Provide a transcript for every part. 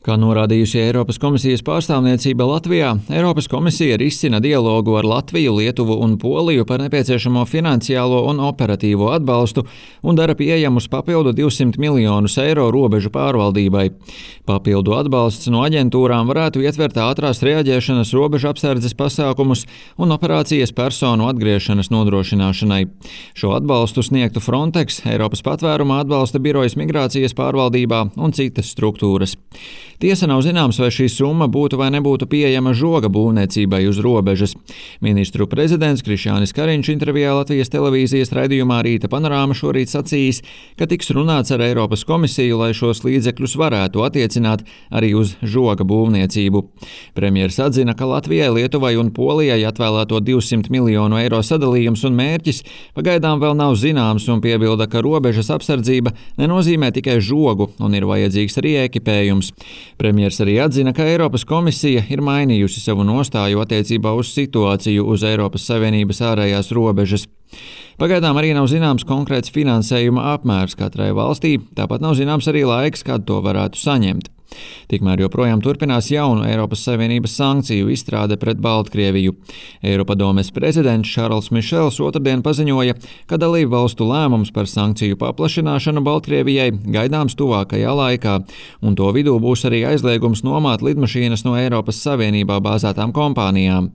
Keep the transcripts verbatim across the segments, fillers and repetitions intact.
Kā norādījusi Eiropas komisijas pārstāvniecība Latvijā, Eiropas komisija risina dialogu ar Latviju, Lietuvu un Poliju par nepieciešamo finansiālo un operatīvo atbalstu un dara pieejamus papildu divsimt miljonus eiro robežu pārvaldībai. Papildu atbalsts no aģentūrām varētu ietvert ātrās reaģēšanas robežu apsardzes pasākumus un operācijas personu atgriešanas nodrošināšanai. Šo atbalstu sniegtu Frontex, Eiropas patvēruma atbalsta birojas migrācijas pārvaldībā un citas struktūras. Tiesa nav zināms, vai šī summa būtu vai nebūtu pieejama žoga būvniecībai uz robežas. Ministru prezidents Krišjānis Kariņš intervijā Latvijas televīzijas raidījumā Rīta panorāma šorīt sacījis, ka tiks runāts ar Eiropas komisiju, lai šos līdzekļus varētu attiecināt arī uz žoga būvniecību. Premjers atzina, ka Latvijai, Lietuvai un Polijai atvēlēto divsimt miljonu eiro sadalījums un mērķis pagaidām vēl nav zināms un piebilda, ka robežas apsardzība nenozīmē tikai žogu un ir vajadzīgs arī ekipējums. Premjers arī atzina, ka Eiropas komisija ir mainījusi savu nostāju attiecībā uz situāciju uz Eiropas Savienības ārējās robežas. Pagaidām arī nav zināms konkrēts finansējuma apmērs katrai valstī, tāpat nav zināms arī laiks, kad to varētu saņemt. Tikmēr joprojām turpinās jaunu Eiropas Savienības sankciju izstrāde pret Baltkrieviju. Eiropadomes prezidents Šarls Mišels otrdien paziņoja, ka dalību valstu lēmums par sankciju paplašināšanu Baltkrievijai gaidāms tuvākajā laikā, un to vidū būs arī aizliegums nomāt lidmašīnas no Eiropas Savienībā bāzētām kompānijām.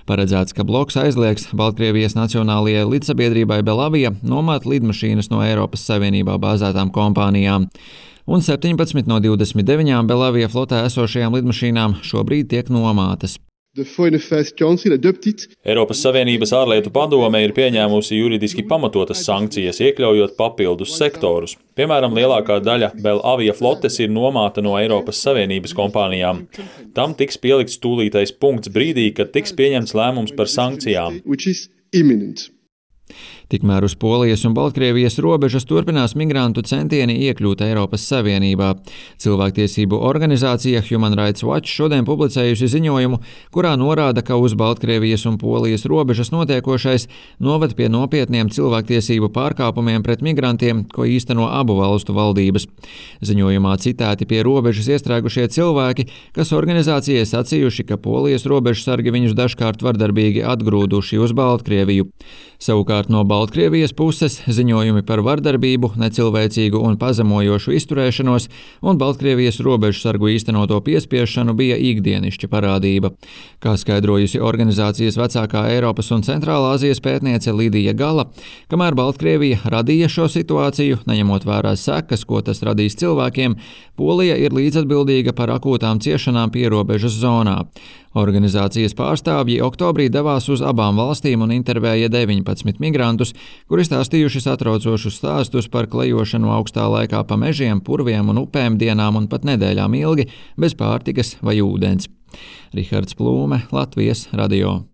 Paredzēts, ka bloks aizliegs Baltkrievijas nacionālajai lidsabiedrībai Belavija nomāt lidmašīnas no Eiropas Savienībā bāzētām kompānijām. Un septiņpadsmit no divdesmit deviņām Belavija flotē esošajām lidmašīnām šobrīd tiek nomātas. Eiropas Savienības ārlietu padome ir pieņēmusi juridiski pamatotas sankcijas, iekļaujot papildus sektorus. Piemēram, lielākā daļa Belavija flotes ir nomāta no Eiropas Savienības kompānijām. Tam tiks pielikts tūlītais punkts brīdī, kad tiks pieņemts lēmums par sankcijām. Tikmēr uz Polijas un Baltkrievijas robežas turpinās migrantu centieni iekļūt Eiropas Savienībā. Cilvēktiesību organizācija Human Rights Watch šodien publicējusi ziņojumu, kurā norāda, ka uz Baltkrievijas un Polijas robežas notiekošais noved pie nopietniem cilvēktiesību pārkāpumiem pret migrantiem, ko īsteno abu valstu valdības. Ziņojumā citēti pie robežas iestrēgušie cilvēki, kas organizācijai sacījuši, ka Polijas robežsargi viņus dažkārt vardarbīgi atgrūduši uz Baltkrieviju. Savukārt no Baltkrievijas puses ziņojumi par vardarbību, necilvēcīgu un pazemojošu izturēšanos un Baltkrievijas robežsargu īstenoto piespiešanu bija ikdienišķa parādība. Kā skaidrojusi organizācijas vecākā Eiropas un Centrālā Azijas pētniece Lidija Gala, kamēr Baltkrievija radīja šo situāciju, neņemot vērā sekas, ko tas radīs cilvēkiem, Polija ir līdzatbildīga par akūtām ciešanām pierobežas zonā. Organizācijas pārstāvji oktobrī devās uz abām valstīm un intervēja deviņpadsmit migrantus, kuri stāstījuši satraucošus stāstus par klejošanu augstā laikā pa mežiem, purviem un upēm dienām un pat nedēļām ilgi, bez pārtikas vai ūdens. Rihards Plūme, Latvijas radio.